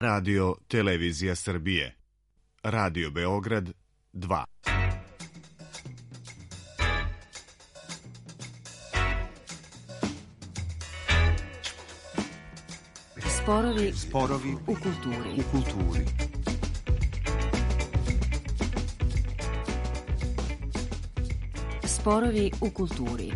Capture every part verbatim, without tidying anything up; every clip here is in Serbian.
Radio Televizija Srbije. Radio Beograd dva. Sporovi, Sporovi u kulturi. U kulturi. Sporovi u kulturi.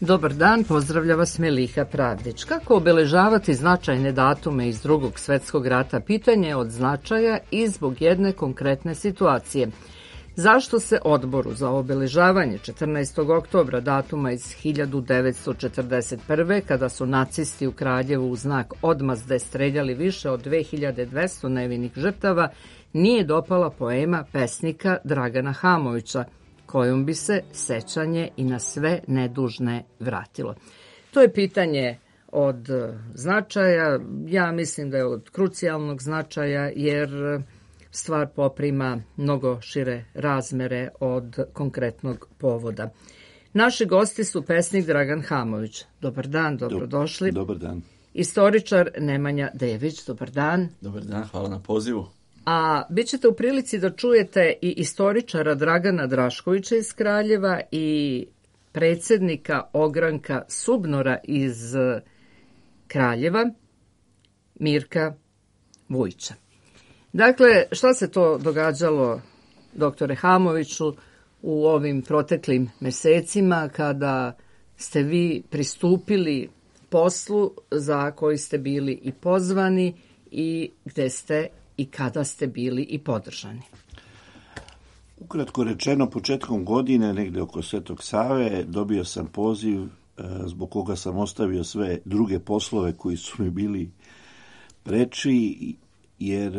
Dobar dan, pozdravlja vas Meliha Pravdić. Kako obeležavati značajne datume iz Drugog svetskog rata? Pitanje je od značaja i zbog jedne konkretne situacije. Zašto se Odboru za obeležavanje četrnaestog oktobra, datuma iz hiljadu devetsto četrdeset prve. kada su nacisti u Kraljevu u znak odmazde streljali više od dve hiljade dvesta nevinih žrtava, nije dopala poema pesnika Dragana Hamovića, kojom bi se sećanje i na sve nedužne vratilo? To je pitanje od značaja, ja mislim da je od krucijalnog značaja, jer stvar poprima mnogo šire razmere od konkretnog povoda. Naši gosti su pesnik Dragan Hamović. Dobar dan, dobrodošli. Dobar dan. Istoričar Nemanja Dević. Dobar dan. Dobar dan, hvala na pozivu. A bit ćete u prilici da čujete i istoričara Dragana Draškovića iz Kraljeva i predsjednika ogranka Subnora iz Kraljeva, Mirka Vujića. Dakle, šta se to događalo, doktore Hamoviću, u ovim proteklim mesecima kada ste vi pristupili poslu za koji ste bili i pozvani i gde ste i kada ste bili i podržani? Ukratko rečeno, početkom godine, negde oko Svetog Save, dobio sam poziv zbog koga sam ostavio sve druge poslove koji su mi bili preči, jer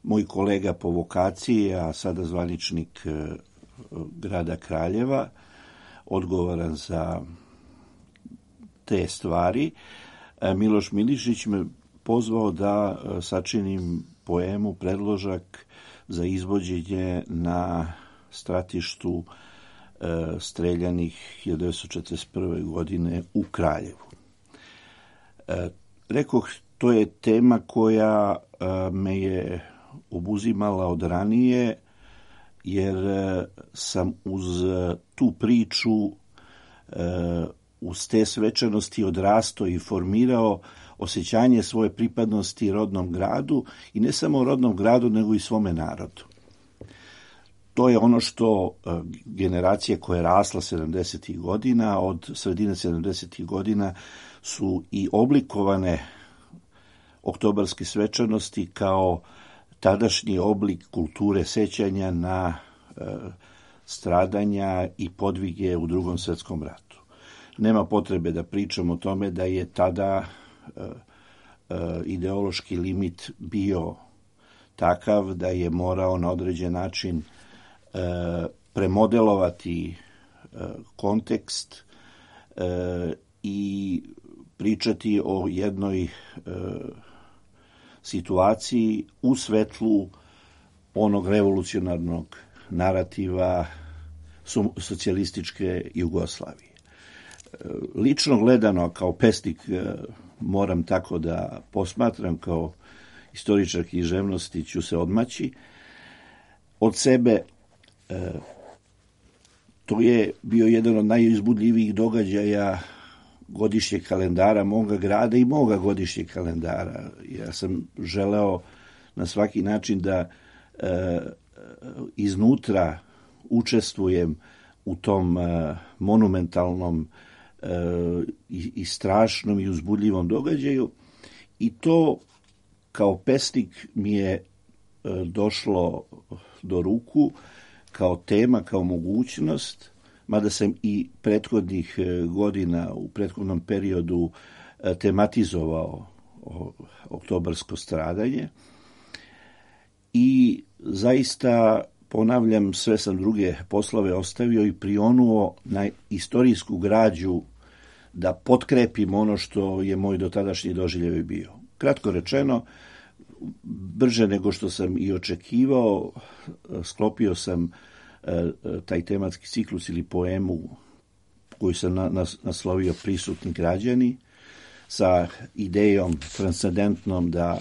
moj kolega po vokaciji, a sada zvaničnik grada Kraljeva, odgovoran za te stvari, Miloš Milišić me pozvao da sačinim poemu, predložak za izvođenje na stratištu streljanih hiljadu devetsto četrdeset prve. godine u Kraljevu. Rekoh, to je tema koja me je obuzimala od ranije, jer sam uz tu priču, uz te svečanosti odrastao i formirao osjećanje svoje pripadnosti rodnom gradu, i ne samo rodnom gradu, nego i svome narodu. To je ono što generacije koja je rasla sedamdesetih godina, od sredine sedamdesetih godina su i oblikovane oktobarske svečanosti kao tadašnji oblik kulture sećanja na e, stradanja i podvige u Drugom svetskom ratu. Nema potrebe da pričamo o tome da je tada e, e, ideološki limit bio takav da je morao na određen način e, premodelovati e, kontekst e, i pričati o jednoj e, situaciji u svetlu onog revolucionarnog narativa socijalističke Jugoslavije. Lično gledano, kao pesnik, moram tako da posmatram, kao istoričar književnosti ću se odmaći od sebe. To je bio jedan od najuzbudljivijih događaja godišnjeg kalendara moga grada i moga godišnjeg kalendara. Ja sam želeo na svaki način da e, iznutra učestvujem u tom e, monumentalnom e, i, i strašnom i uzbudljivom događaju, i to kao pesnik mi je e, došlo do ruku kao tema, kao mogućnost, mada sam i prethodnih godina, u prethodnom periodu, tematizovao oktobarsko stradanje. I zaista, ponavljam, sve sam druge poslove ostavio i prionuo na istorijsku građu da potkrepim ono što je moj dotadašnji doživljaj bio. Kratko rečeno, brže nego što sam i očekivao, sklopio sam taj tematski ciklus ili poemu koju sam naslovio Prisutni građani, sa idejom transcendentnom da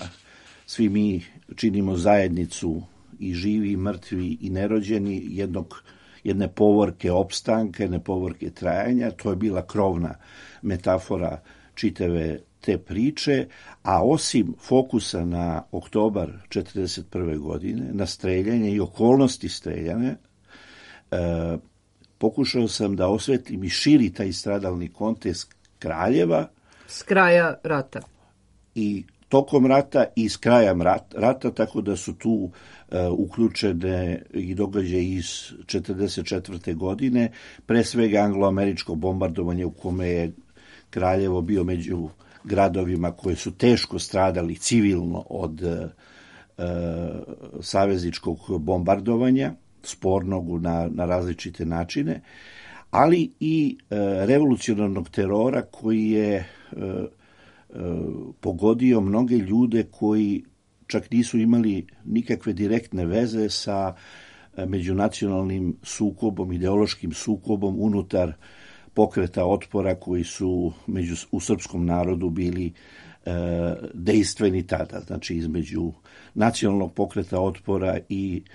svi mi činimo zajednicu i živi, i mrtvi, i nerođeni, jednog, jedne povorke opstanka, jedne povorke trajanja. To je bila krovna metafora čitave te priče, a osim fokusa na oktobar četrdeset prve godine, na streljanje i okolnosti streljane, e, pokušao sam da osvetlim i širi taj stradalni kontekst Kraljeva. S kraja rata. I tokom rata i s krajem rata, tako da su tu uh, uključene i događaje iz četrdeset četvrte godine, pre svega anglo-američko bombardovanje u kome je Kraljevo bio među gradovima koji su teško stradali civilno od uh, savezničkog bombardovanja, spornog na, na različite načine, ali i uh, revolucionarnog terora koji je uh, uh, pogodio mnoge ljude koji čak nisu imali nikakve direktne veze sa uh, međunacionalnim sukobom, ideološkim sukobom unutar pokreta otpora koji su među, u srpskom narodu bili uh, dejstveni tada, znači između nacionalnog pokreta otpora i uh,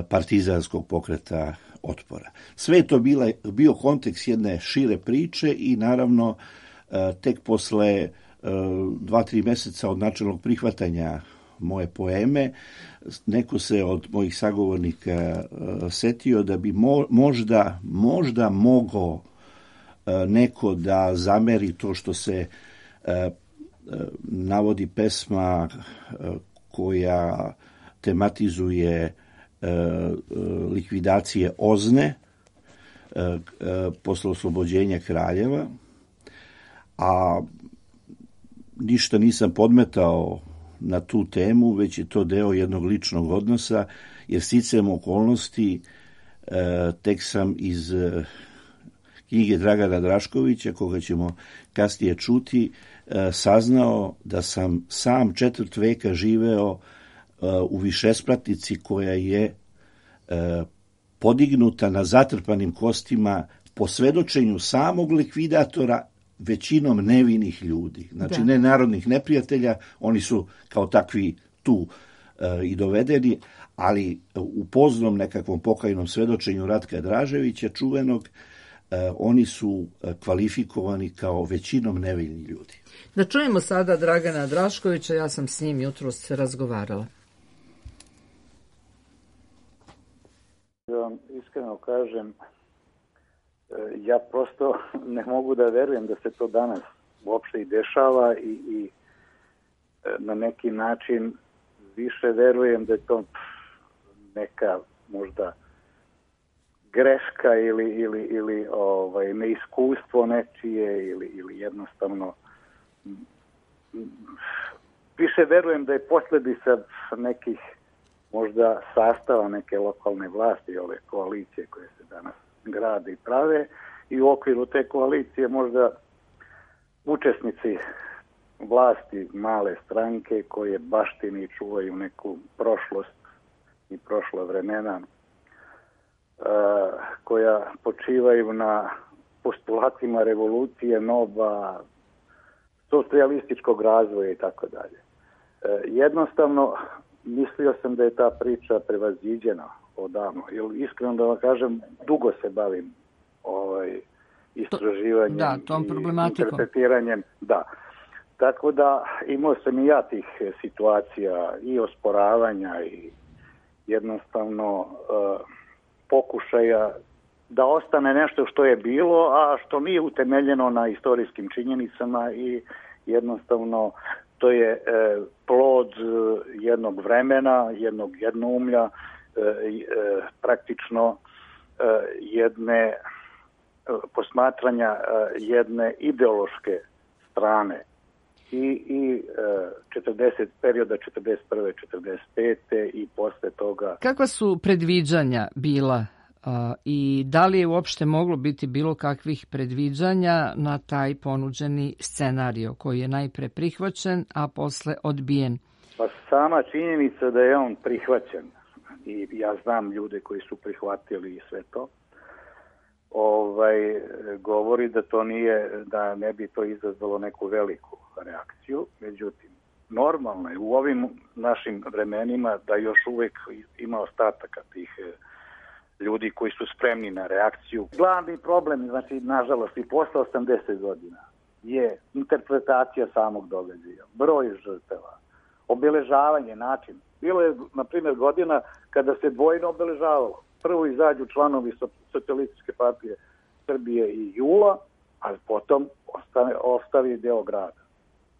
partizanskog pokreta otpora. Sve je to bila, bio kontekst jedne šire priče i naravno tek posle dva, tri meseca od načelnog prihvatanja moje poeme, neko se od mojih sagovornika setio da bi mo, možda, možda mogao neko da zameri to što se navodi pesma koja tematizuje likvidacije Ozne posle oslobođenja Kraljeva, a ništa nisam podmetao na tu temu, već je to deo jednog ličnog odnosa, jer sticajem okolnosti tek sam iz knjige Dragana Draškovića, koga ćemo kasnije čuti, saznao da sam sam četvrt veka živeo u višespratnici koja je e, podignuta na zatrpanim kostima po svedočenju samog likvidatora, većinom nevinih ljudi. Znači da. Ne narodnih neprijatelja, oni su kao takvi tu e, i dovedeni, ali u poznom nekakvom pokajnom svedočenju Ratka Draževića, čuvenog, e, oni su kvalifikovani kao većinom nevini ljudi. Da čujemo sada Dragana Draškovića, ja sam s njim jutros razgovarala. Da vam iskreno kažem, ja prosto ne mogu da verujem da se to danas uopšte i dešava i, i na neki način više verujem da je to neka možda greška ili, ili, ili ovaj, neiskustvo nečije ili, ili jednostavno više verujem da je posljedica nekih možda sastava neke lokalne vlasti, ove koalicije koje se danas grade i prave, i u okviru te koalicije možda učesnici vlasti male stranke koje baštini i čuvaju neku prošlost i prošla vremena, uh, koja počivaju na postulatima revolucije, nova, socijalističkog razvoja i tako dalje. Jednostavno, mislio sam da je ta priča prevaziđena odavno. Jer iskreno da vam kažem, dugo se bavim ovaj, istraživanjem da, tom i interpretiranjem. Da. Tako da imao sam i ja tih situacija i osporavanja i jednostavno uh, pokušaja da ostane nešto što je bilo, a što nije utemeljeno na istorijskim činjenicama i jednostavno to je e, plod jednog vremena, jednog jednoumlja, e, e, praktično e, jedne e, posmatranja e, jedne ideološke strane i, i e, četrdeset, perioda četrdeset prve četrdeset pete i posle toga. Kakva su predviđanja bila A, i da li je uopšte moglo biti bilo kakvih predviđanja na taj ponuđeni scenario koji je najpre prihvaćen, a posle odbijen? Pa sama činjenica da je on prihvaćen, i ja znam ljude koji su prihvatili i sve to, ovaj, govori da to nije, da ne bi to izazvalo neku veliku reakciju. Međutim, normalno je u ovim našim vremenima da još uvek ima ostataka tih ljudi koji su spremni na reakciju. Glavni problem, znači, nažalost, i posle osamdeset godina je interpretacija samog događaja, broj žrtava, obeležavanje, način. Bilo je, na primjer, godina kada se dvojno obeležavalo. Prvo izađu članovi Socijalističke partije Srbije i Jula, a potom ostane, ostavi deo grada.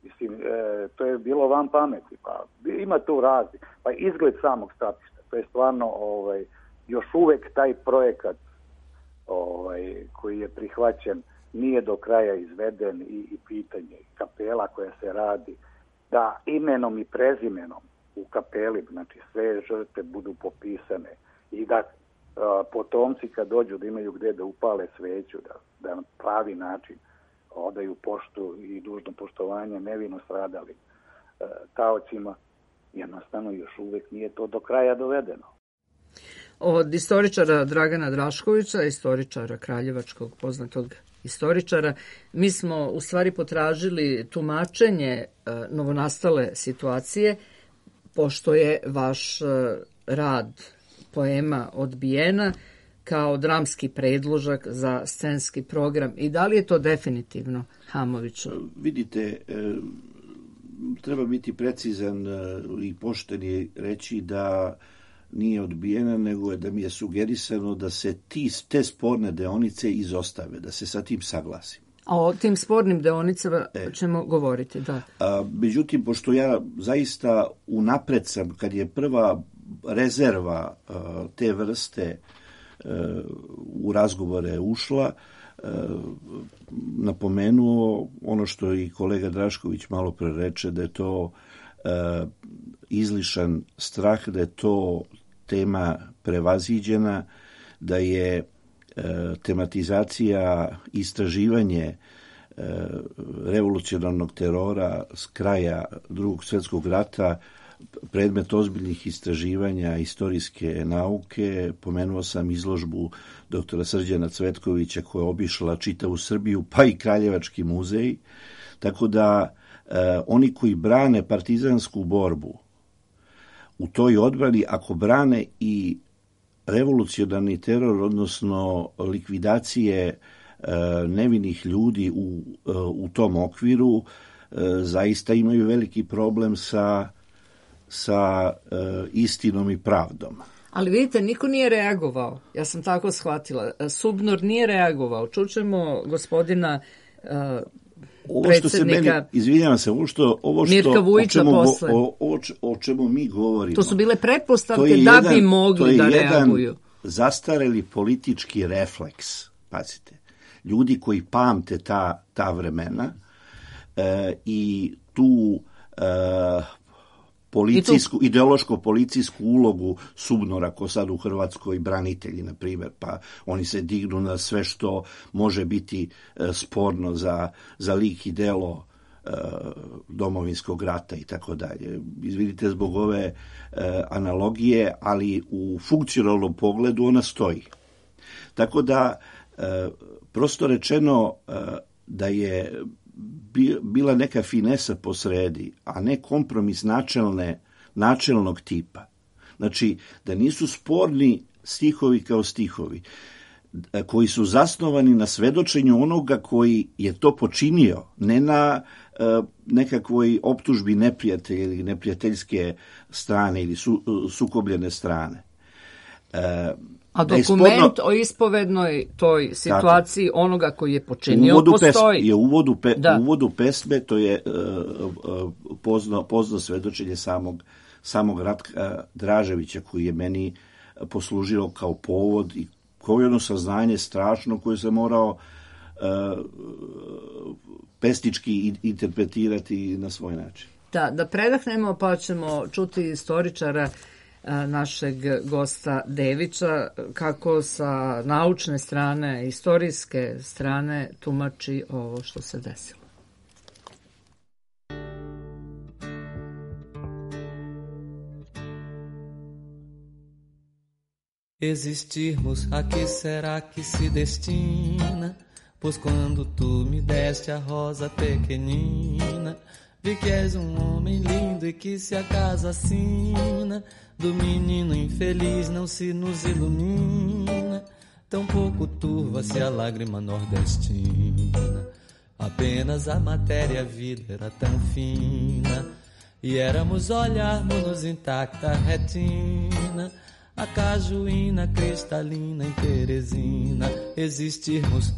Mislim, e, to je bilo van pameti. Pa, ima tu razni. Pa izgled samog stratišta. To je stvarno ovaj, još uvek taj projekat ovaj, koji je prihvaćen nije do kraja izveden i, i pitanje kapela koja se radi, da imenom i prezimenom u kapeli, znači sve žrtve budu popisane i da a, potomci kad dođu da imaju gde da upale sveću, da, da na pravi način odaju poštu i dužno poštovanje nevino stradalim a, taocima, jednostavno još uvek nije to do kraja dovedeno. Od istoričara Dragana Draškovića, istoričara kraljevačkog, poznatog istoričara, mi smo u stvari potražili tumačenje novonastale situacije, pošto je vaš rad poema odbijena kao dramski predložak za scenski program. I da li je to definitivno, Hamoviću? Vidite, treba biti precizan i pošten i reći da nije odbijena, nego je da mi je sugerisano da se ti, te sporne deonice izostave, da se sa tim saglasim. A o tim spornim deonicama e. ćemo govoriti, da. A, međutim, pošto ja zaista unapred sam, kad je prva rezerva a, te vrste a, u razgovore ušla, a, napomenuo ono što i kolega Drašković malo pre reče, da je to a, izlišan strah, da je to tema prevaziđena, da je e, tematizacija, istraživanje e, revolucionarnog terora s kraja Drugog svjetskog rata predmet ozbiljnih istraživanja istorijske nauke. Pomenuo sam izložbu doktora Srđana Cvetkovića koja je obišla čitavu Srbiju, pa i Kraljevački muzej. Tako da e, oni koji brane partizansku borbu u toj odbrani, ako brane i revolucionarni teror, odnosno likvidacije e, nevinih ljudi u, e, u tom okviru, e, zaista imaju veliki problem sa, sa e, istinom i pravdom. Ali vidite, niko nije reagovao. Ja sam tako shvatila. Subnor nije reagovao. Čućemo gospodina e, Ovo što se meni, izvinjavam se, ovo što, ovo što Mirka Vujića o, čemu, posle. o, o, o čemu mi govorimo. To su bile pretpostavke da jedan, bi mogli da reaguju. To je zastareli politički refleks, pazite. Ljudi koji pamte ta, ta vremena e, i tu e, policijsku, tu... ideološko-policijsku ulogu Subnora, ko sad u Hrvatskoj branitelji, na primjer, pa oni se dignu na sve što može biti e, sporno za, za lik i delo e, domovinskog rata i tako dalje. Izvidite zbog ove e, analogije, ali u funkcionalnom pogledu ona stoji. Tako da, e, prosto rečeno, e, da je bila neka finesa posredi, a ne kompromis načelne, načelnog tipa. Znači, da nisu sporni stihovi kao stihovi, koji su zasnovani na svedočenju onoga koji je to počinio, ne na e, nekakvoj optužbi neprijatelja ili neprijateljske strane ili su, sukobljene strane. E, A dokument sporno, o ispovednoj toj situaciji tako, onoga koji je počinio uvodu postoji. Pesme, je uvodu, pe, uvodu pesme, to je uh, pozno, pozno svedočenje samog, samog Ratka Draževića, koji je meni poslužio kao povod i kao jedno saznanje strašno koje se morao uh, pesnički interpretirati na svoj način. Da, da predahnemo pa ćemo čuti istoričara našeg gosta Devića, kako sa naučne strane, istorijske strane tumači ovo što se desilo. Existirmos, a que será que se destina? Pois quando tu me deste a rosa pequenina, vi que és um homem lindo e que se acaso assina, do menino infeliz não se nos ilumina, tão pouco turva-se a lágrima nordestina. Apenas a matéria, a vida era tão fina, e éramos olharmos-nos intacta retina, a cajuína cristalina em Teresina. Existirmos,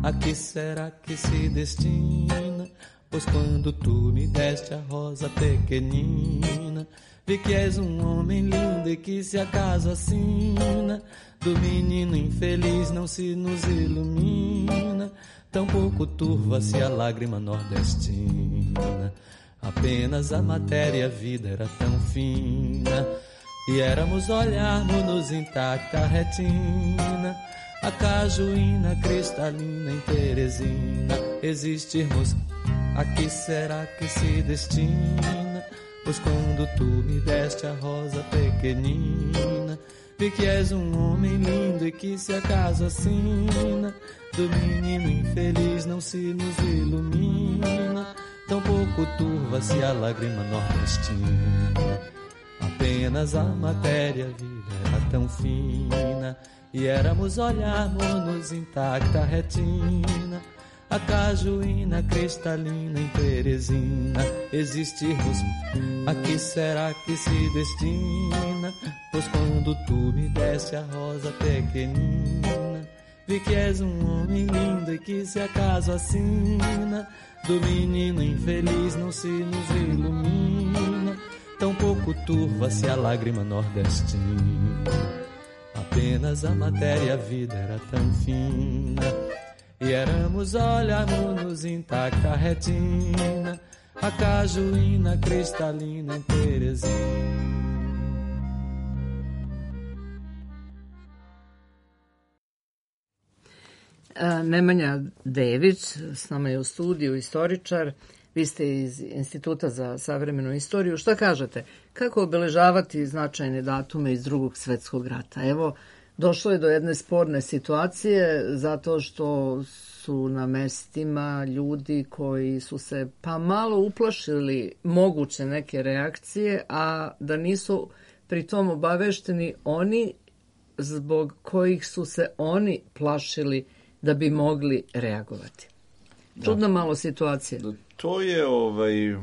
a que será que se destina? Pois quando tu me deste a rosa pequenina, vi que és um homem lindo e que se acaso assina, do menino infeliz não se nos ilumina, tão pouco turva-se a lágrima nordestina. Apenas a matéria, a vida era tão fina, e éramos olharmos-nos intacta retina, a cajuína cristalina em Teresina. Existirmos, a que será que se destina? Pois quando tu me deste a rosa pequenina, vi que és um homem lindo e que se acaso assina, do menino infeliz não se nos ilumina, tão pouco turva-se a lágrima nordestina. Apenas a matéria, a vida era tão fina, e éramos olharmos-nos intacta retina, a cajuína cristalina em Teresina. Existirmos, a que será que se destina? Pois quando tu me deste a rosa pequenina, vi que és um homem lindo e que se acaso assina, do menino infeliz não se nos ilumina, tão pouco turva-se a lágrima nordestina. Apenas a matéria, a vida era tão fina, e éramos olharmos-nos intacta retina, a cajuína cristalina em Teresina. Nemanja Dević s nama je u studiju, istoričar. Vi ste iz Instituta za savremenu istoriju. Šta kažete? Kako obeležavati značajne datume iz Drugog svjetskog rata? Evo, došlo je do jedne sporne situacije zato što su na mestima ljudi koji su se pa malo uplašili moguće neke reakcije, a da nisu pri tom obavešteni oni zbog kojih su se oni plašili da bi mogli reagovati. Čudna malo situacija. To je, ovaj,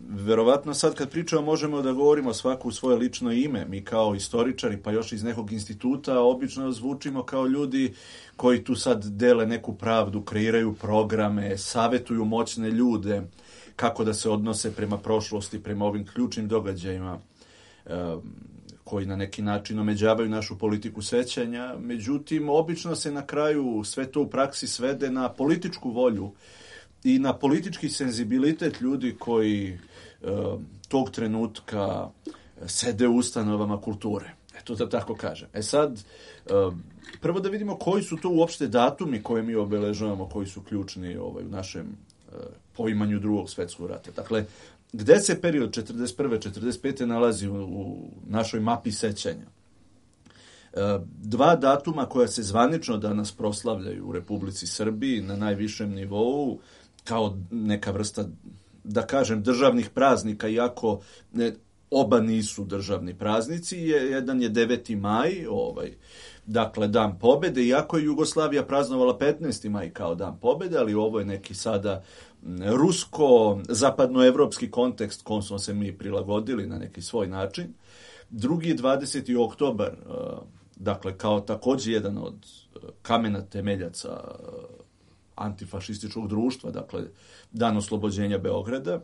verovatno sad kad pričamo možemo da govorimo svaku u svoje lično ime. Mi kao istoričari, pa još iz nekog instituta, obično zvučimo kao ljudi koji tu sad dele neku pravdu, kreiraju programe, savetuju moćne ljude kako da se odnose prema prošlosti, prema ovim ključnim događajima koji na neki način omeđavaju našu politiku sećanja. Međutim, obično se na kraju sve to u praksi svede na političku volju i na politički senzibilitet ljudi koji e, tog trenutka sede u ustanovama kulture. Eto da tako kažem. E sad, e, prvo da vidimo koji su to uopšte datumi koje mi obeležavamo, koji su ključni ovaj, u našem e, poimanju Drugog svjetskog rata. Dakle, gde se period četrdeset prve četrdeset pete nalazi u, u našoj mapi sećanja? E, dva datuma koja se zvanično danas proslavljaju u Republici Srbiji na najvišem nivou, kao neka vrsta, da kažem, državnih praznika, iako ne, oba nisu državni praznici. Je, jedan je deveti maj, ovaj, dakle Dan pobede, iako je Jugoslavija praznovala petnaesti maj kao Dan pobede, ali ovo je neki sada rusko-zapadnoevropski kontekst kom smo se mi prilagodili na neki svoj način. Drugi je dvadeseti oktobar, dakle kao također jedan od kamena temeljaca antifašističkog društva, dakle Dan oslobođenja Beograda.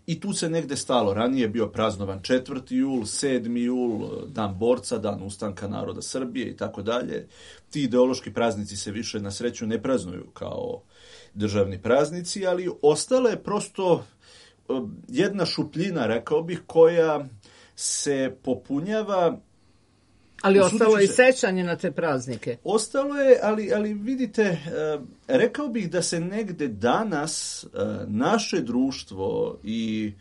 I tu se negde stalo. Ranije je bio praznovan četvrti jul, sedmi jul, Dan borca, Dan ustanka naroda Srbije i tako dalje. Ti ideološki praznici se više na sreću ne praznuju kao državni praznici, ali ostala je prosto jedna šupljina, rekao bih, koja se popunjava. Ali ostalo je i sećanje na te praznike. Ostalo je, ali, ali vidite, rekao bih da se negde danas naše društvo i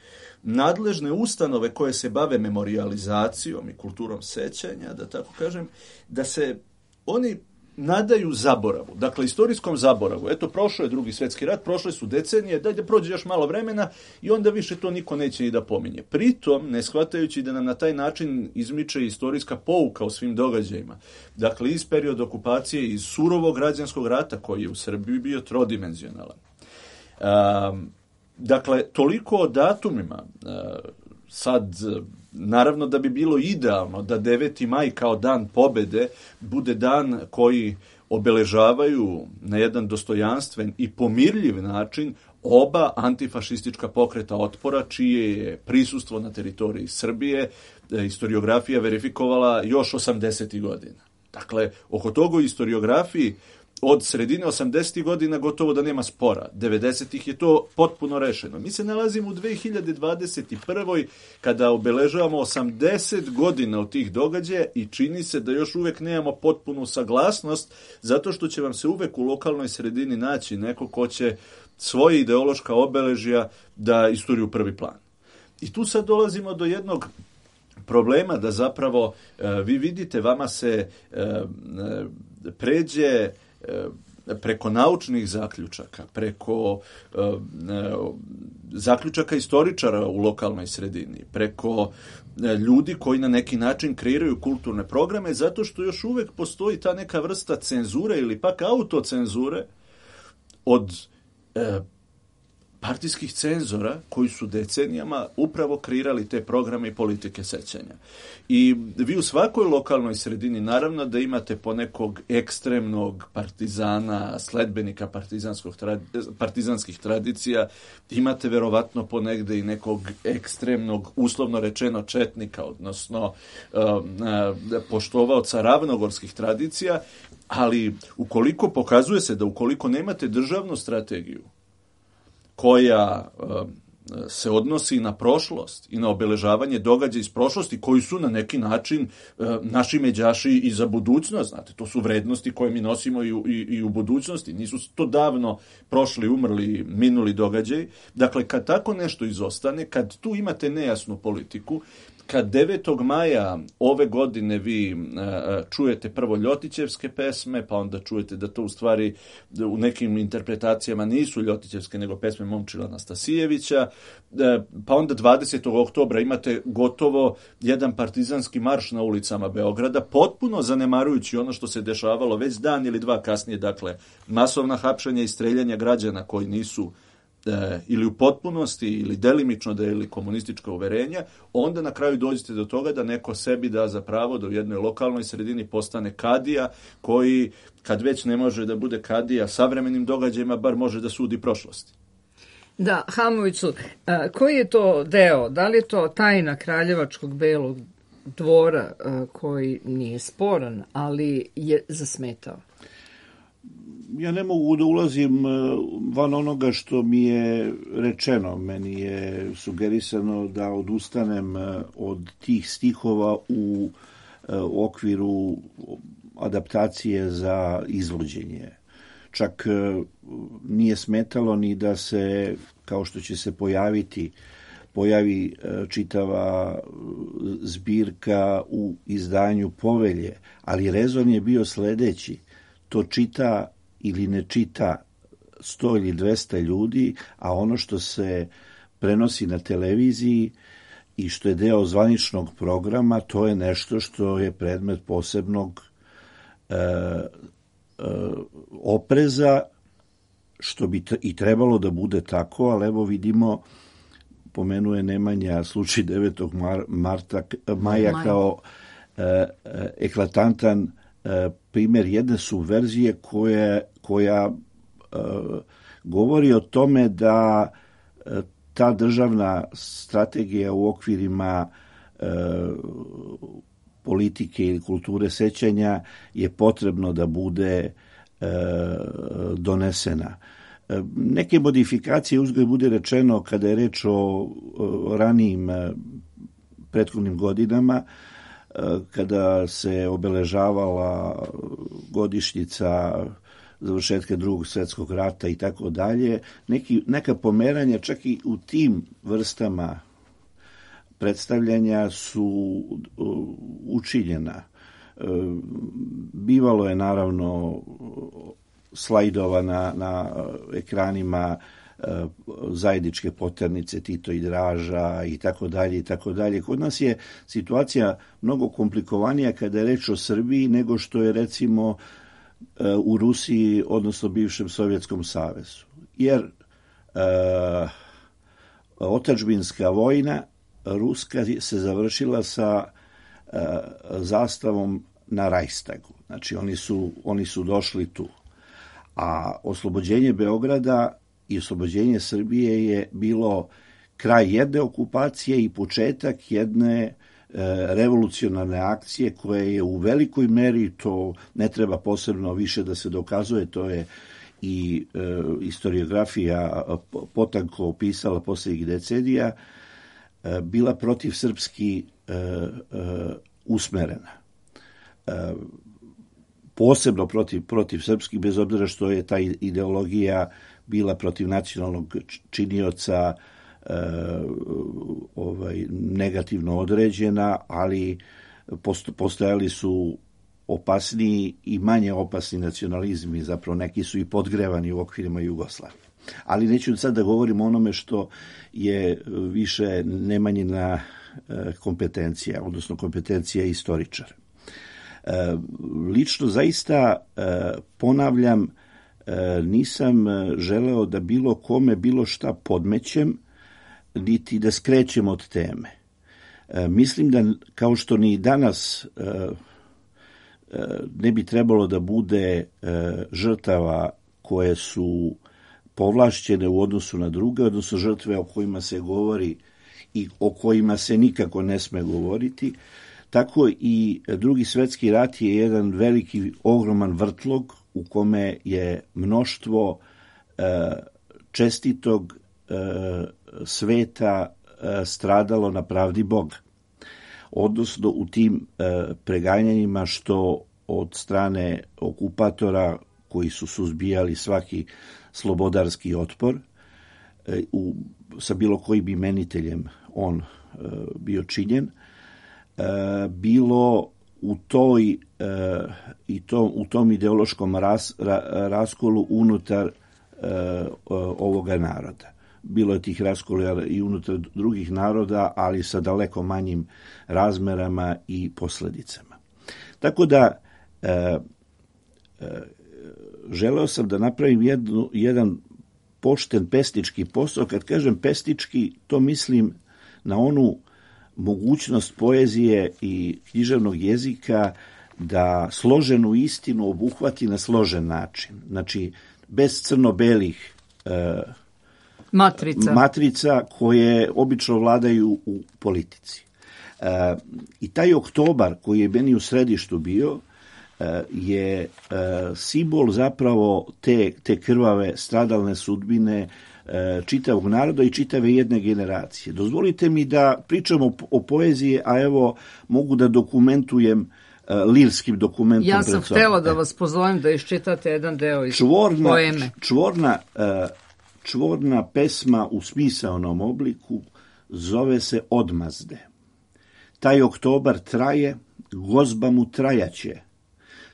nadležne ustanove koje se bave memorijalizacijom i kulturom sećanja, da tako kažem, da se oni nadaju zaboravu, dakle istorijskom zaboravu. Eto, prošao je Drugi svjetski rat, prošle su decenije, daj da prođe još malo vremena i onda više to niko neće ni da pominje. Pritom, ne shvatajući da nam na taj način izmiče istorijska pouka o svim događajima. Dakle, iz perioda okupacije, iz surovog građanskog rata koji je u Srbiji bio trodimenzionalan. Um, dakle, toliko o datumima. Uh, sad, naravno da bi bilo idealno da deveti maj kao dan pobede bude dan koji obeležavaju na jedan dostojanstven i pomirljiv način oba antifašistička pokreta otpora, čije je prisustvo na teritoriji Srbije historiografija verifikovala još osamdesetih godina. Dakle, oko toga u historiografiji od sredine osamdesetih godina gotovo da nema spora. devedesetih je to potpuno rešeno. Mi se nalazimo u dve hiljade dvadeset prvoj kada obeležavamo osamdeset godina od tih događaja i čini se da još uvek nemamo potpunu saglasnost, zato što će vam se uvek u lokalnoj sredini naći neko ko će svoje ideološka obeležja da isturi u prvi plan. I tu sad dolazimo do jednog problema da zapravo e, vi vidite, vama se e, e, pređe preko naučnih zaključaka, preko e, zaključaka istoričara u lokalnoj sredini, preko e, ljudi koji na neki način kreiraju kulturne programe, zato što još uvek postoji ta neka vrsta cenzure ili pak autocenzure od e, partijskih cenzora koji su decenijama upravo kreirali te programe i politike sećanja. I vi u svakoj lokalnoj sredini naravno da imate ponekog ekstremnog partizana, sledbenika partizanskog partizanskih tradicija, imate verovatno ponegde i nekog ekstremnog, uslovno rečeno, četnika, odnosno uh, uh, poštovaoca ravnogorskih tradicija, ali ukoliko pokazuje se da ukoliko nemate državnu strategiju koja uh, se odnosi na prošlost i na obeležavanje događaja iz prošlosti koji su na neki način uh, naši međaši i za budućnost, znate, to su vrednosti koje mi nosimo i u, i, i u budućnosti, nisu to davno prošli, umrli, minuli događaj. Dakle, kad tako nešto izostane, kad tu imate nejasnu politiku, kad devetog maja ove godine vi uh, čujete prvo Ljotićevske pesme, pa onda čujete da to u stvari u nekim interpretacijama nisu Ljotićevske, nego pesme Momčila Anastasijevića, uh, pa onda dvadesetog oktobra imate gotovo jedan partizanski marš na ulicama Beograda, potpuno zanemarujući ono što se dešavalo već dan ili dva kasnije, dakle, masovna hapšenja i streljanja građana koji nisu ili u potpunosti ili delimično da je ili komunistička uverenja, onda na kraju dođete do toga da neko sebi da za pravo da u jednoj lokalnoj sredini postane kadija koji, kad već ne može da bude kadija savremenim događajima, bar može da sudi prošlosti. Da, Hamoviću, koji je to deo? Da li je to tajna Kraljevačkog belog dvora koji nije sporan, ali je zasmetao? Ja ne mogu da ulazim van onoga što mi je rečeno. Meni je sugerisano da odustanem od tih stihova u okviru adaptacije za izvođenje. Čak nije smetalo ni da se, kao što će se pojaviti, pojavi čitava zbirka u izdanju Povelje, ali rezon je bio sledeći. To čita ili ne čita sto ili dvesta ljudi, a ono što se prenosi na televiziji i što je deo zvaničnog programa, to je nešto što je predmet posebnog e, e, opreza, što bi t- i trebalo da bude tako, ali evo vidimo, pomenuje Nemanja slučaj devetog marta, maja Maj. kao e, e, eklatantan primjer jedne subverzije koja, koja e, govori o tome da e, ta državna strategija u okvirima e, politike ili kulture sećanja je potrebno da bude e, donesena. E, neke modifikacije, uzgled bude rečeno, kada je reč o, o ranijim prethodnim godinama, kada se obeležavala godišnjica završetka drugog svjetskog rata i tako dalje, neki, neka pomeranja čak i u tim vrstama predstavljanja su učinjena. Bivalo je naravno slajdova na, na ekranima zajedničke poternice Tito i Draža i tako dalje i tako dalje. Kod nas je situacija mnogo komplikovanija kada je reč o Srbiji nego što je recimo u Rusiji, odnosno bivšem Sovjetskom savezu. Jer uh, otadžbinska vojna ruska se završila sa uh, zastavom na Reichstagu. Znači oni su, oni su došli tu. A oslobođenje Beograda i oslobođenje Srbije je bilo kraj jedne okupacije i početak jedne e, revolucionarne akcije koja je u velikoj meri, to ne treba posebno više da se dokazuje, to je i e, historiografija potanko opisala posljednjih decenija, e, bila protiv srpski e, e, usmerena. E, posebno protiv, protiv srpskih, bez obzira što je ta ideologija bila protiv nacionalnog činioca e, ovaj, negativno određena, ali postojali su opasniji i manje opasni nacionalizmi, zapravo neki su i podgrevani u okvirima Jugoslavije. Ali neću sad da govorim o onome što je više Nemanjina kompetencija, odnosno kompetencija istoričara. Lično zaista ponavljam, nisam želeo da bilo kome bilo šta podmećem, niti da skrećem od teme. Mislim da, kao što ni danas ne bi trebalo da bude žrtava koje su povlašćene u odnosu na druge, odnosno žrtve o kojima se govori i o kojima se nikako ne sme govoriti, tako i Drugi svjetski rat je jedan veliki, ogroman vrtlog u kome je mnoštvo e, čestitog e, sveta e, stradalo na pravdi Boga. Odnosno u tim e, preganjanjima što od strane okupatora koji su suzbijali svaki slobodarski otpor, e, u, sa bilo kojim imeniteljem on e, bio činjen, e, bilo u toj e, i to, u tom ideološkom ras, ra, raskolu unutar e, ovoga naroda. Bilo je tih raskola i unutar drugih naroda, ali sa daleko manjim razmerama i posljedicama. Tako da e, e, želeo sam da napravim jednu, jedan pošten pesnički posao. Kad kažem pesnički, to mislim na onu mogućnost poezije i književnog jezika da složenu istinu obuhvati na složen način. Znači, bez crno-belih e, matrica. matrica koje obično vladaju u politici. E, I taj oktobar koji je meni u središtu bio e, je e, simbol zapravo te, te krvave stradalne sudbine čitavog naroda i čitave jedne generacije. Dozvolite mi da pričam o, o poeziji, a evo mogu da dokumentujem uh, lirskim dokumentom. Ja sam htjela da vas pozovem da iščitate jedan deo iz čvorna, poeme. Čvorna, uh, čvorna pesma u smisaonom obliku zove se Odmazde. Taj oktobar traje, gozba mu trajaće,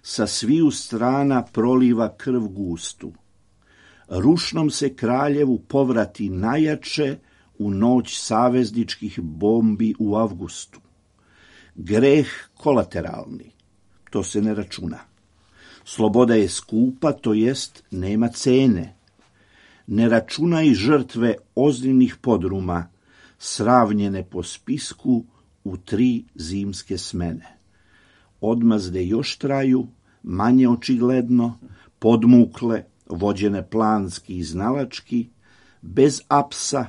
sa sviju strana proliva krv gustu. Rušnom se kraljevu povrati najjače u noć savezničkih bombi u avgustu. Greh kolateralni, to se ne računa. Sloboda je skupa, to jest nema cene. Ne računaj žrtve ozbiljnih podruma, sravnjene po spisku u tri zimske smene. Odmazde još traju, manje očigledno, podmukle, vođene planski i znalački, bez apsa,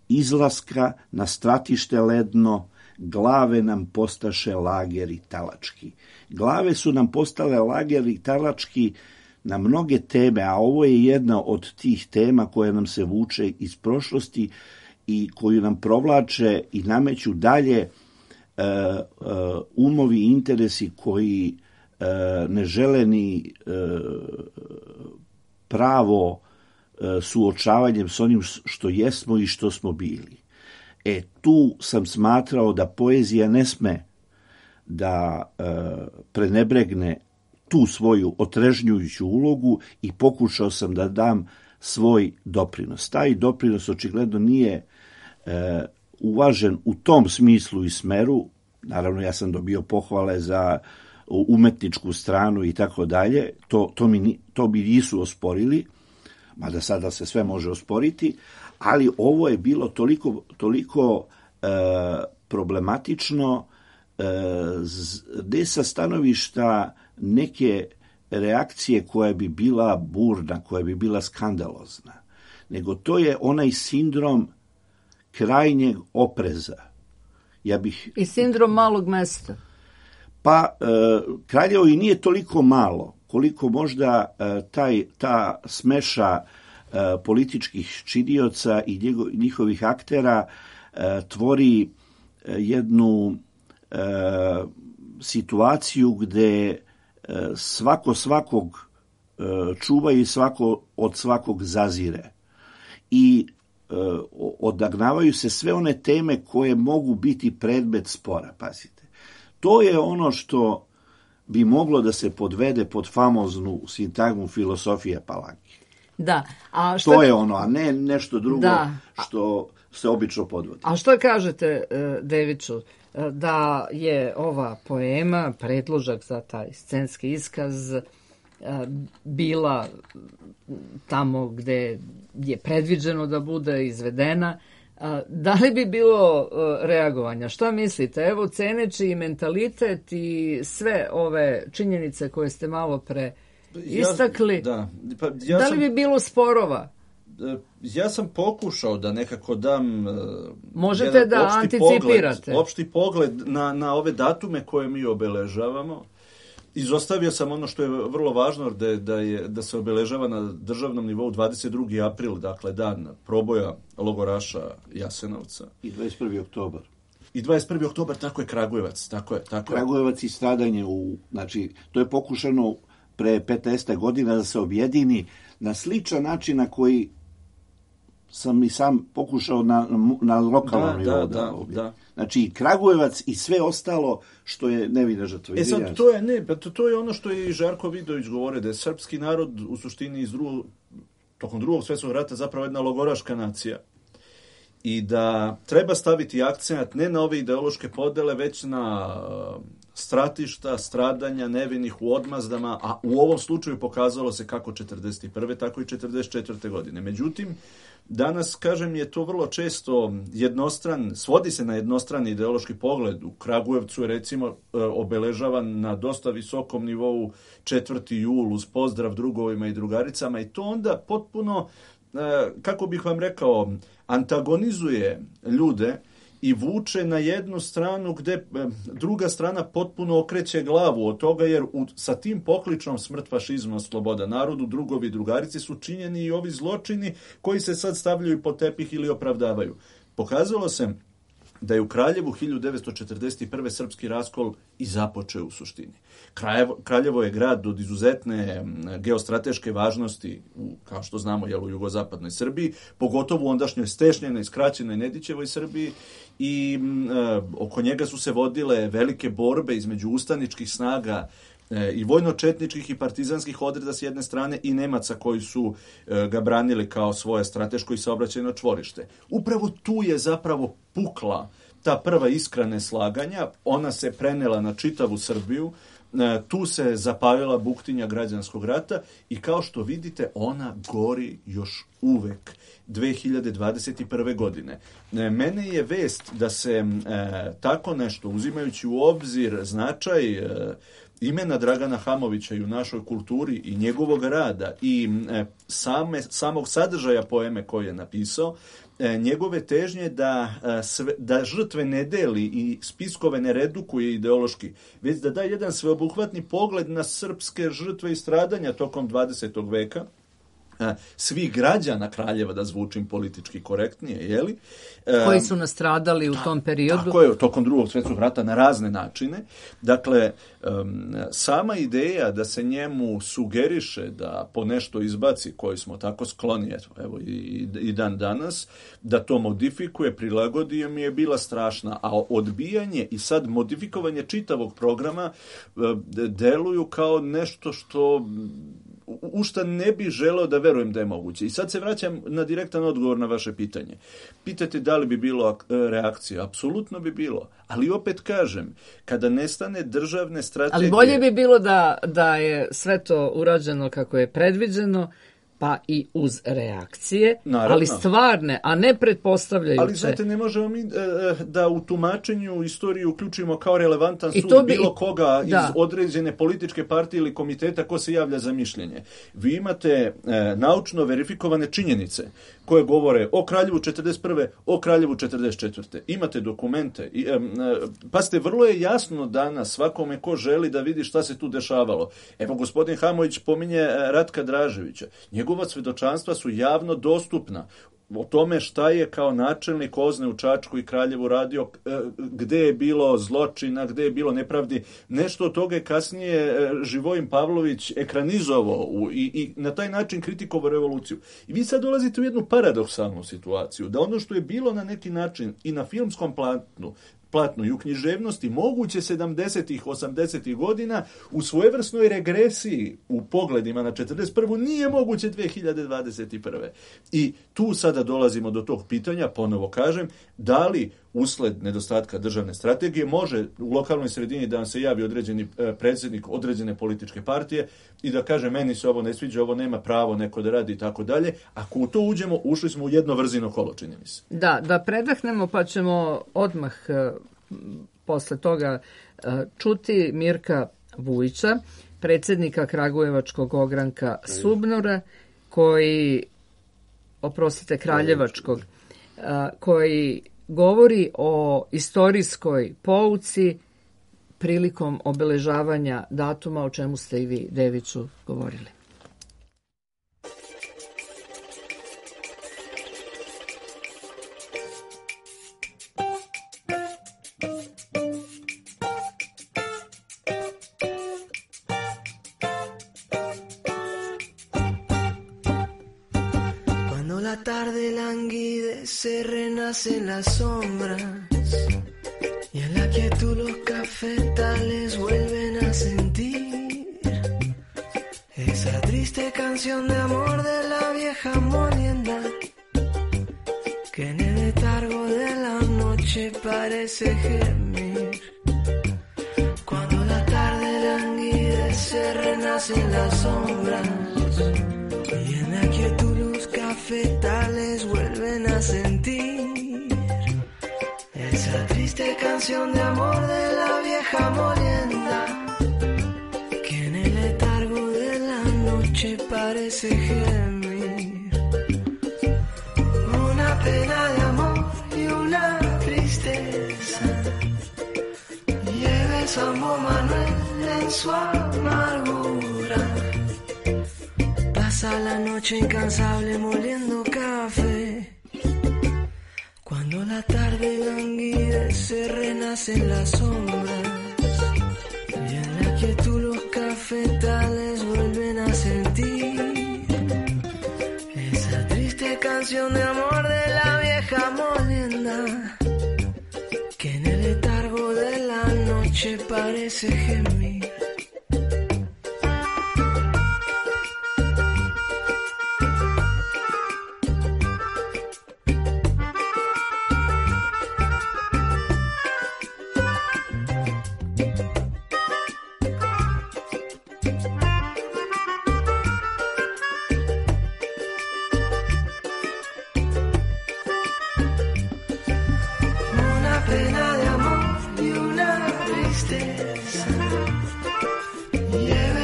izlaska na stratište ledno, glave nam postaše lageri talački. Glave su nam postale lageri talački na mnoge teme, a ovo je jedna od tih tema koja nam se vuče iz prošlosti i koju nam provlače i nameću dalje umovi i interesi koji ne žele ni pravo suočavanjem s onim što jesmo i što smo bili. E, tu sam smatrao da poezija ne sme da prenebregne tu svoju otrežnjujuću ulogu i pokušao sam da dam svoj doprinos. Taj doprinos očigledno nije e, uvažen u tom smislu i smeru. Naravno, ja sam dobio pohvale za umetničku stranu i tako dalje. To, to, mi, to mi nisu osporili, mada sada se sve može osporiti, ali ovo je bilo toliko, toliko e, problematično e, ne sa stanovišta neke reakcije koja bi bila burna, koja bi bila skandalozna, nego to je onaj sindrom krajnjeg opreza. Ja bih... I sindrom malog mesta. Pa, e, Kraljevo i nije toliko malo, koliko možda e, taj, ta smeša e, političkih činioca i njego, njihovih aktera e, tvori e, jednu e, situaciju gde svako svakog čuva i svako od svakog zazire. I odagnavaju se sve one teme koje mogu biti predmet spora, pazite. To je ono što bi moglo da se podvede pod famoznu sintagmu filosofije Palanke. Da. A šta... To je ono, a ne nešto drugo da. Što se obično podvodi. A što kažete, Deviću, da je ova poema, predložak za taj scenski iskaz, bila tamo gde je predviđeno da bude izvedena, da li bi bilo reagovanja? Šta mislite? Evo, ceneći i mentalitet i sve ove činjenice koje ste malo pre istakli, ja, da. Pa, ja da li sam... bi bilo sporova? Ja sam pokušao da nekako dam Možete da opšti anticipirate. Pogled, opšti pogled na, na ove datume koje mi obeležavamo. Izostavio sam ono što je vrlo važno, da, da, je, da se obeležava na državnom nivou dvadeset drugi april, dakle dan proboja logoraša Jasenovca. I dvadeset prvi oktobar. I dvadeset prvi oktobar, tako je Kragujevac. Tako je, tako Kragujevac i stradanje, u, znači, to je pokušano pre petnaest godina da se objedini na sličan način na koji sam i sam pokušao na, na lokalnom nivou. Da, da, da. Znači, Kragujevac i sve ostalo što je nevina žrtva. E sad, to je, ne, to, to je ono što je i Žarko Vidović govorio, da je srpski narod u suštini iz drugog, tokom drugog svjetskog rata zapravo jedna logoraška nacija. I da treba staviti akcent ne na ove ideološke podele, već na stratišta, stradanja nevinih u odmazdama, a u ovom slučaju pokazalo se kako četrdeset prve tako i četrdeset četvrte godine. Međutim, danas, kažem, je to vrlo često jednostran, svodi se na jednostrani ideološki pogled. U Kragujevcu je, recimo, obeležavan na dosta visokom nivou četvrti jul uz pozdrav drugovima i drugaricama i to onda potpuno, kako bih vam rekao, antagonizuje ljude i vuče na jednu stranu gde druga strana potpuno okreće glavu od toga, jer u, sa tim pokličom smrt, fašizma, sloboda narodu, drugovi i drugarici su činjeni i ovi zločini koji se sad stavljaju pod tepih ili opravdavaju. Pokazalo se da je u Kraljevu hiljadu devetsto četrdeset prve srpski raskol i započeo u suštini. Kraljevo, Kraljevo je grad od izuzetne geostrateške važnosti, u, kao što znamo, jel, u jugozapadnoj Srbiji, pogotovo u ondašnjoj stešnjenoj, skraćenoj Nedićevoj Srbiji i e, oko njega su se vodile velike borbe između ustaničkih snaga e, i vojno-četničkih i partizanskih odreda s jedne strane i Nemaca koji su e, ga branili kao svoje strateško i saobraćajno čvorište. Upravo tu je zapravo pukla ta prva iskra neslaganja, ona se prenela na čitavu Srbiju, e, tu se zapalila buktinja građanskog rata i kao što vidite ona gori još uvek dve hiljade dvadeset prve godine. E, mene je vest da se e, tako nešto, uzimajući u obzir značaj e, imena Dragana Hamovića i u našoj kulturi i njegovog rada i e, same, samog sadržaja poeme koje je napisao, e, njegove težnje da, e, sve, da žrtve ne deli i spiskove ne redukuje ideološki, već da da jedan sveobuhvatni pogled na srpske žrtve i stradanja tokom dvadesetog veka, svih građana Kraljeva, da zvučim politički korektnije, jeli? Koji su nastradali u tom periodu? Tako je, tokom drugog svjetskog rata na razne načine. Dakle, sama ideja da se njemu sugeriše da po nešto izbaci, koji smo tako skloni, evo i, i dan danas, da to modifikuje, prilagodio mi je bila strašna, a odbijanje i sad modifikovanje čitavog programa deluju kao nešto što u šta ne bih želeo da verujem da je moguće. I sad se vraćam na direktan odgovor na vaše pitanje. Pitate da li bi bilo reakcija? Apsolutno bi bilo. Ali opet kažem, kada nestane državne strategije... Ali bolje bi bilo da, da je sve to urađeno kako je predviđeno, pa i uz reakcije, naravno, ali stvarne, a ne pretpostavljajuće. Ali znate, ne možemo mi e, da u tumačenju istoriju uključimo kao relevantan sud bi, bilo koga da. iz određene političke partije ili komiteta ko se javlja za mišljenje. Vi imate e, naučno verifikovane činjenice koje govore o Kraljevu četrdeset prve, o Kraljevu četrdeset četvrte. Imate dokumente. I, e, e, pazite, vrlo je jasno danas svakome ko želi da vidi šta se tu dešavalo. Evo, gospodin Hamović pominje Ratka Draževića. Njegova svedočanstva su javno dostupna o tome šta je kao načelnik Ozne u Čačku i Kraljevu radio, gde je bilo zločina, gde je bilo nepravdi. Nešto od toga je kasnije Živojin Pavlović ekranizovao u, i, i na taj način kritikovao revoluciju. I vi sad dolazite u jednu paradoksalnu situaciju, da ono što je bilo na neki način i na filmskom platnu, platnu i u književnosti moguće sedamdesetih, osamdesetih godina u svojevrsnoj regresiji u pogledima na četrdeset prvu nije moguće dve hiljade dvadeset prve. I tu sada dolazimo do tog pitanja, ponovo kažem, da li usled nedostatka državne strategije može u lokalnoj sredini da vam se javi određeni predsjednik određene političke partije i da kaže meni se ovo ne sviđa, ovo nema pravo neko da radi i tako dalje. Ako u to uđemo, ušli smo u jedno vrzino kolo, čini mi se. Da, da predahnemo pa ćemo odmah posle toga čuti Mirka Vujića, predsjednika Kragujevačkog ogranka Subnora, koji, oprostite, Kraljevačkog, koji govori o istorijskoj pouci prilikom obeležavanja datuma, o čemu ste i vi, Deviću, govorili. Se renacen las sombras y en la quietud los cafetales vuelven a sentir esa triste canción de amor de la vieja molienda que en el letargo de la noche parece gemir. Cuando la tarde languidece renacen las sombras y en la quietud los cafetales vuelven a sentir esa triste canción de amor de la vieja molienda que en el letargo de la noche parece gemir. Una pena de amor y una tristeza lleva el Sambo Manuel en su amargura. Pasa la noche incansable moliendo café. Cuando la tarde languidece renacen las sombras y en la quietud los cafetales vuelven a sentir esa triste canción de amor de la vieja molienda que en el letargo de la noche parece gemir.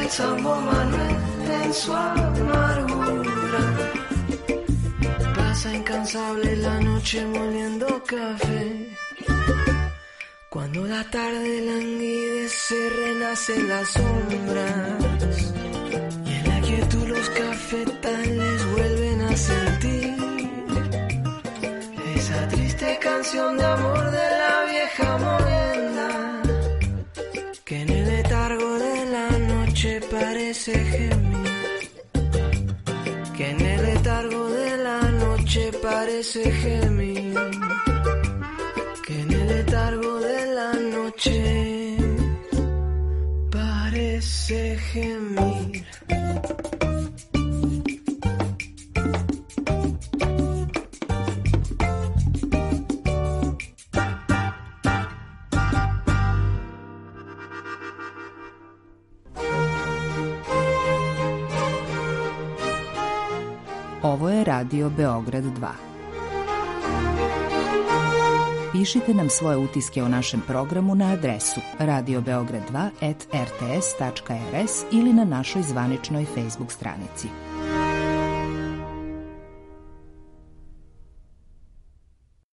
Sambo Manuel en su amargura. Pasa incansable la noche moliendo café. Cuando la tarde languidece renacen las sombras y en la quietud los cafetales a sentir esa triste canción de amor de la vieja molienda que en el letargo de la noche parece gemir, que en el letargo de la noche parece gemir, que en el letargo de la noche parece gemir. Ovo je Radio Beograd dva. Pišite nam svoje utiske o našem programu na adresu radio beograd dva at r t s tačka r s ili na našoj zvaničnoj Facebook stranici.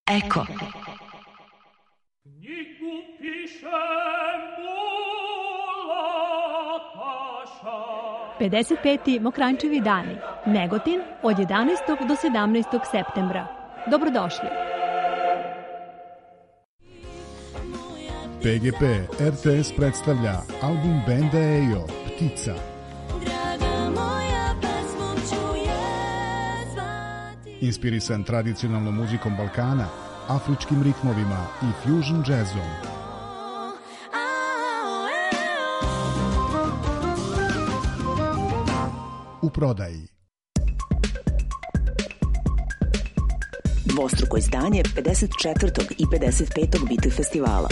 Eko. pedeset peti Mokranjčevi dani, Negotin, od jedanaestog do sedamnaestog septembra. Dobrodošli. P G P R T S predstavlja album benda Ejo, Ptica. Inspirisan tradicionalnom muzikom Balkana, afričkim ritmovima i fusion jazzom. U prodaji. Dvostruko izdanje pedeset četvrtog i pedeset petog Biti festivala.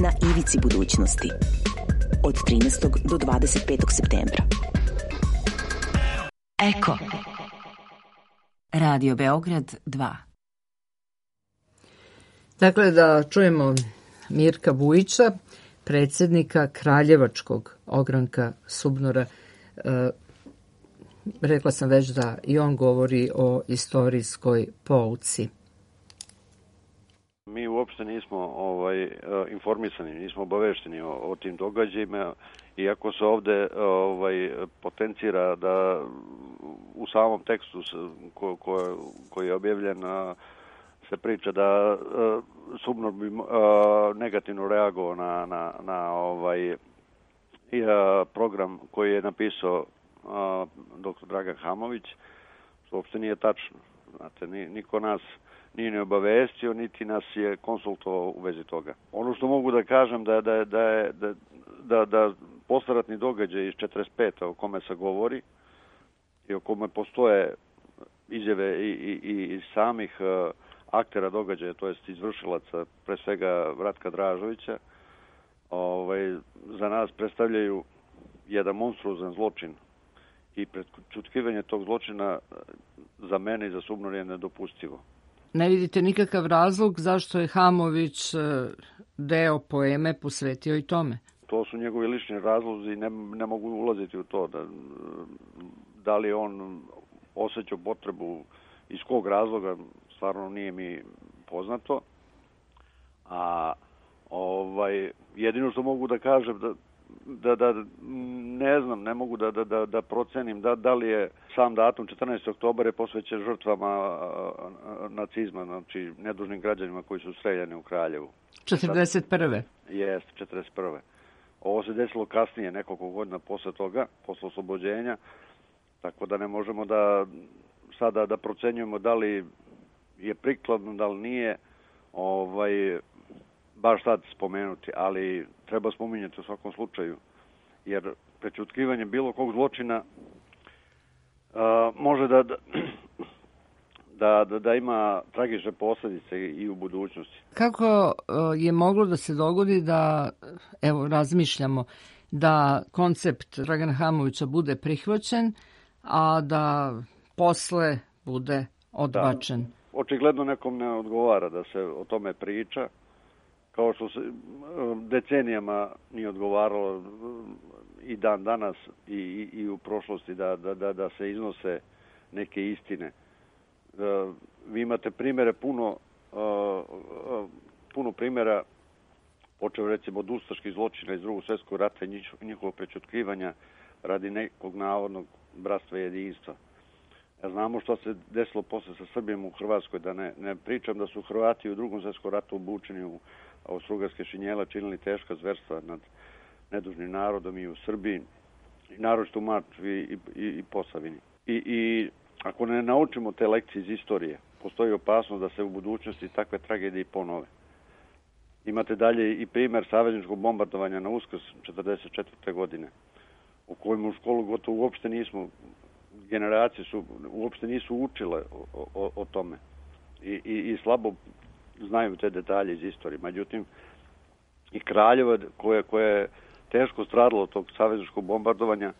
Na ivici budućnosti. Od trinaestog do dvadeset petog septembra. Eko. Radio Beograd dva. Dakle, da čujemo Mirka Vujića, predsjednika Kraljevačkog ogranka SUBNOR-a. E, rekla sam već da i on govori o istorijskoj pouci. Mi uopšte nismo ovaj, informisani, nismo obavešteni o, o tim događajima, iako se ovde ovaj, potencira da u samom tekstu ko, ko, koji je objavljen se priča da SUBNOR bi negativno reagovao na, na, na ovaj, program koji je napisao doktor Dragan Hamović, što uopšte nije tačno. Znate, niko nas nije ne obavestio, niti nas je konsultovao u vezi toga. Ono što mogu da kažem da da da da da, da posleratni događaj iz četrdeset pete o kome se govori i o kome postoje izjave i, i, i samih uh, aktera događaja, to jest izvršilaca, pre svega Ratka Dražovića, ovaj, za nas predstavljaju jedan monstruozan zločin i prećutkivanje tog zločina za mene i za SUBNOR je nedopustivo. Ne vidite nikakav razlog zašto je Hamović deo poeme posvetio i tome? To su njegovi lični razlozi i ne, ne mogu ulaziti u to. Da, da li on osjećao potrebu, iz kog razloga, stvarno nije mi poznato. A ovaj, jedino što mogu da kažem da Da, da, ne znam, ne mogu da, da, da procenim da, da li je sam datum četrnaesti oktobar je posvećen žrtvama nacizma, znači nedužnim građanima koji su streljani u Kraljevu. četrdeset prve Jeste, četrdeset prve Ovo se desilo kasnije, nekoliko godina posle toga, posle oslobođenja, tako da ne možemo da sada da procenjujemo da li je prikladno, da li nije, ovaj, baš sad spomenuti, ali treba spominjati u svakom slučaju, jer prećutkivanje bilo kog zločina uh, može da, da, da, da ima tragične posljedice i u budućnosti. Kako uh, je moglo da se dogodi da, evo, razmišljamo, da koncept Dragana Hamovića bude prihvaćen, a da posle bude odbačen? Da, očigledno nekom ne odgovara da se o tome priča, kao što se decenijama nije odgovaralo i dan danas i, i, i u prošlosti da, da, da, da se iznose neke istine. Vi imate primere puno, puno primjera, počeo recimo od ustaških zločina iz drugog svjetskog rata i njihovog prećutkivanja radi nekog navodnog bratstva i jedinstva. Ja znamo što se desilo posle sa Srbijom u Hrvatskoj, da ne, ne pričam da su Hrvati u drugom svjetskom ratu obučeni u austrougarske šinjela, činili teška zverstva nad nedužnim narodom i u Srbiji, i naročito u Mačvi i, i, i Posavini. I, I ako ne naučimo te lekcije iz istorije, postoji opasnost da se u budućnosti takve tragedije ponove. Imate dalje i primjer savezničkog bombardovanja na Uskrs četrdeset četvrte godine, u kojem u školu gotovo uopšte nismo, generacije su uopšte nisu učile o, o, o tome. I, i, I slabo znaju te detalje iz istorije. Međutim, i Kraljevo koje, koje je teško stradalo od tog savezničkog bombardovanja,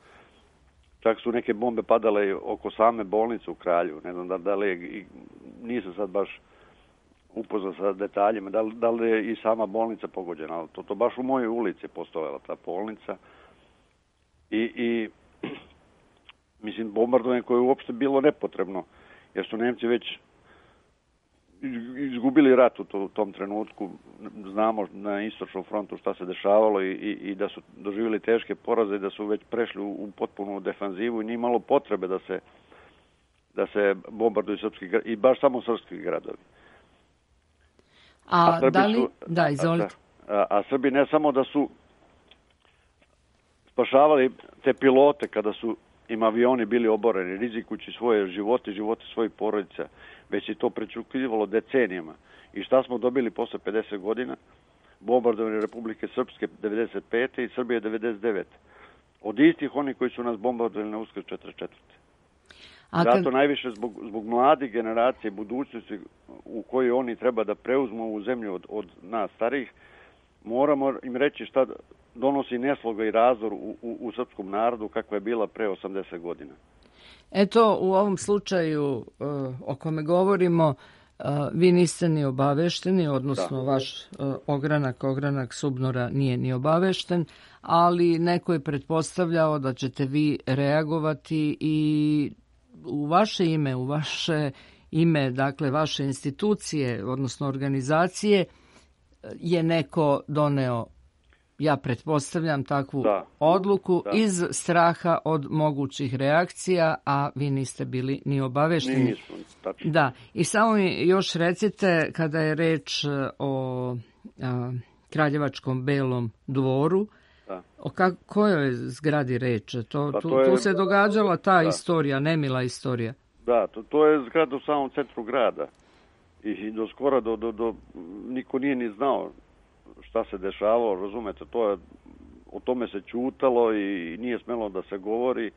čak su neke bombe padale oko same bolnice u Kraljevu. Ne znam da, da li je, nisam sad baš upoznao sa detaljima, da li, da li je i sama bolnica pogođena, ali to, to baš u mojoj ulici postojala ta bolnica. I, i mislim, bombardovanje koje je uopšte bilo nepotrebno, jer su Nemci već izgubili rat u to, tom trenutku. Znamo na istočnom frontu šta se dešavalo i, i, i da su doživjeli teške poraze i da su već prešli u, u potpunu defanzivu i nije malo potrebe da se, da se bombarduju srpski i baš samo srpski gradovi. A, a da li... Su, da, izvolite. A, a Srbi ne samo da su spašavali te pilote kada su im avioni bili oboreni, rizikujući svoje živote, živote svojih porodica, već je to prečukivalo decenijama. I šta smo dobili posle pedeset godina? Bombardovanje Republike Srpske devedeset pete i Srbije devedeset devete Od istih oni koji su nas bombardovali na Uskrs četrdeset četvrte A kad... Zato najviše zbog, zbog mladih generacije, budućnosti u kojoj oni treba da preuzmu ovu zemlju od, od nas starih, moramo im reći šta donosi nesloga i razdor u, u, u srpskom narodu kakva je bila pre osamdeset godina. Eto, u ovom slučaju uh, o kome govorimo, uh, vi niste ni obavešteni, odnosno da. vaš uh, ogranak, ogranak Subnora nije ni obavešten, ali neko je pretpostavljao da ćete vi reagovati i u vaše ime, u vaše ime, dakle vaše institucije, odnosno organizacije, je neko doneo, ja pretpostavljam, takvu da. odluku da. iz straha od mogućih reakcija, a vi niste bili ni obavešteni. Nismo, tačno. Da, i samo mi još recite, kada je reč o a, Kraljevačkom Belom dvoru, da. o ka, kojoj zgradi reč? To, tu, to je, tu se događala ta da. istorija, nemila istorija. Da, to, to je zgrada u samom centru grada. I do skora do, do, do, niko nije ni znao šta se dešavalo, razumete, to je, o tome se ćutalo i nije smelo da se govori,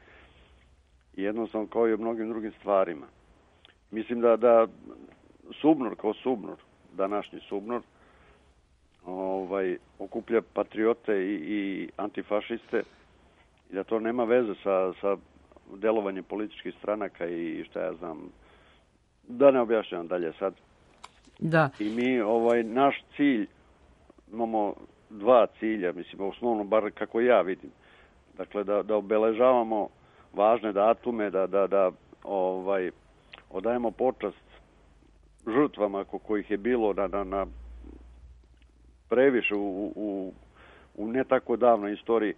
jednostavno kao i o mnogim drugim stvarima. Mislim da, da Subnor kao Subnor, današnji Subnor, ovaj, okuplja patriote i, i antifašiste i da to nema veze sa, sa delovanjem političkih stranaka i šta ja znam, da ne objašnjam dalje sad. Da. I mi, ovaj, naš cilj, imamo dva cilja, mislim, osnovno, bar kako ja vidim. Dakle, da, da obeležavamo važne datume, da, da, da ovaj, odajemo počast žrtvama ko, kojih je bilo na, na, na previše u, u, u ne tako davnoj istoriji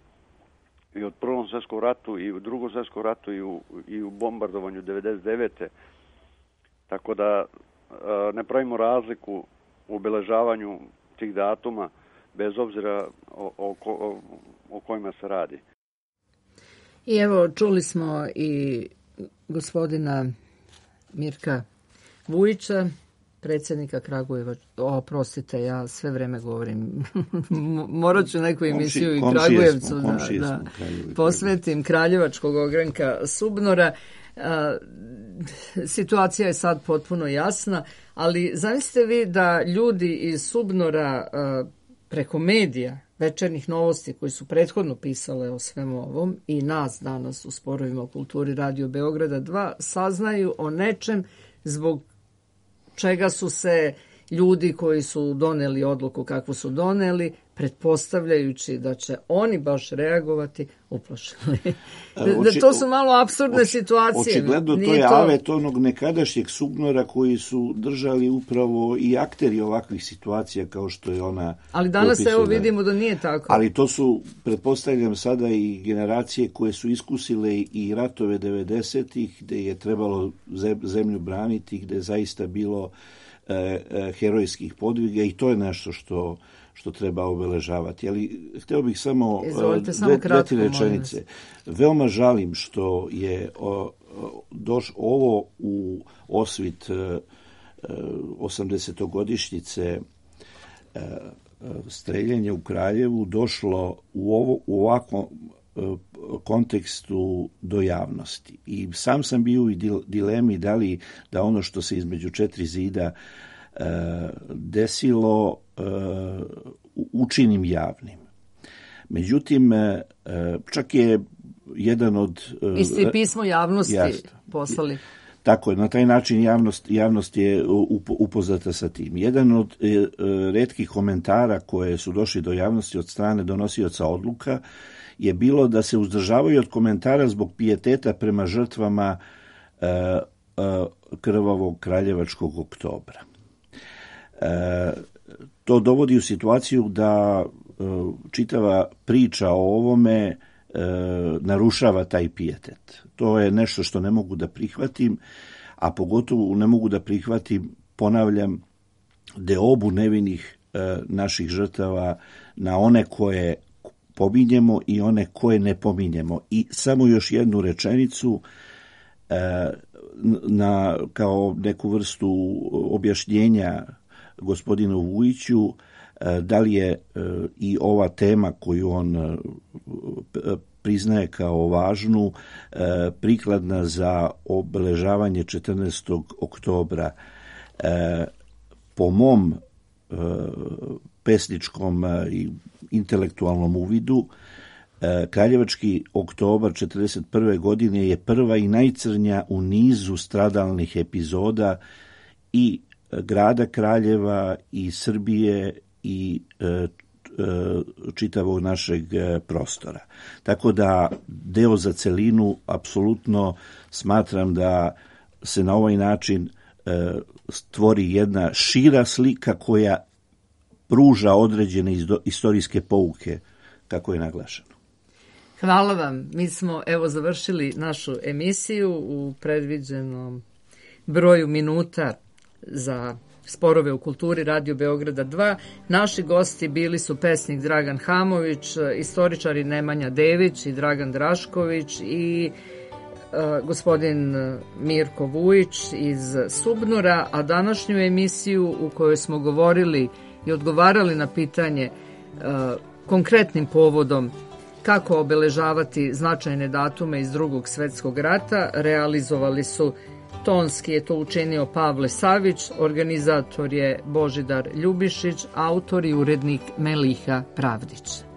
i od Prvom svjetskom ratu i u Drugom svjetskom ratu i u, i u bombardovanju devedeset devete Tako da ne pravimo razliku u obeležavanju tih datuma bez obzira o, o, o, o kojima se radi. I evo, čuli smo i gospodina Mirka Vujića, predsjednika Kragujeva. Oprostite, ja sve vreme govorim. Morat ću neku emisiju komši, i Kragujevcu da, da posvetim Kraljevačkog ogranka Subnora. A, situacija je sad potpuno jasna, ali zamislite vi da ljudi iz Subnora a, preko medija, večernjih novosti koji su prethodno pisale o svemu ovom i nas danas u Sporovima o kulturi Radio Beograda dva saznaju o nečem zbog čega su se ljudi koji su doneli odluku kakvu su doneli pretpostavljajući da će oni baš reagovati, uplašili. Da, da to su malo apsurdne oči, situacije. Očigledno to je to... avet onog nekadašnjeg sugnora koji su držali upravo i akteri ovakvih situacija kao što je ona... Ali danas opisana. Evo vidimo da nije tako. Ali to su, pretpostavljam sada, i generacije koje su iskusile i ratove devedesetih, gde je trebalo zemlju braniti, gde je zaista bilo e, e, herojskih podviga i to je nešto što... što treba obeležavati. Ali hteo bih samo dve, dve tri rečenice. Veoma žalim što je o, doš, ovo u osvit osamdesetogodišnjice streljenja u Kraljevu došlo u, ovo, u ovakvom kontekstu do javnosti. I sam sam bio u dilemi da li da ono što se između četiri zida desilo učinim javnim. Međutim, čak je jedan od... Isti pismo javnosti jasno, poslali. Tako je, na taj način javnost, javnost je upoznata sa tim. Jedan od retkih komentara koje su došli do javnosti od strane donosioca odluka je bilo da se uzdržavaju od komentara zbog pijeteta prema žrtvama krvavog kraljevačkog oktobra. E, to dovodi u situaciju da e, čitava priča o ovome e, narušava taj pijetet. To je nešto što ne mogu da prihvatim, a pogotovo ne mogu da prihvatim, ponavljam, deobu nevinih e, naših žrtava na one koje pominjemo i one koje ne pominjemo. I samo još jednu rečenicu e, na, kao neku vrstu objašnjenja gospodinu Vujiću, da li je i ova tema koju on priznaje kao važnu prikladna za obeležavanje četrnaestog oktobra. Po mom pesničkom i intelektualnom uvidu, Kraljevački oktobar četrdeset prve godine je prva i najcrnja u nizu stradalnih epizoda i grada Kraljeva i Srbije i e, e, čitavog našeg prostora. Tako da deo za celinu apsolutno smatram da se na ovaj način e, stvori jedna šira slika koja pruža određene istorijske pouke, kako je naglašeno. Hvala vam. Mi smo evo završili našu emisiju u predviđenom broju minuta za sporove u kulturi Radio Beograda dva. Naši gosti bili su pesnik Dragan Hamović, istoričari Nemanja Dević i Dragan Drašković i uh, gospodin Mirko Vujić iz Subnora, a današnju emisiju u kojoj smo govorili i odgovarali na pitanje uh, konkretnim povodom kako obeležavati značajne datume iz Drugog svetskog rata realizovali su tonski je to učinio Pavle Savić, organizator je Božidar Ljubišić, autor i urednik Meliha Pravdić.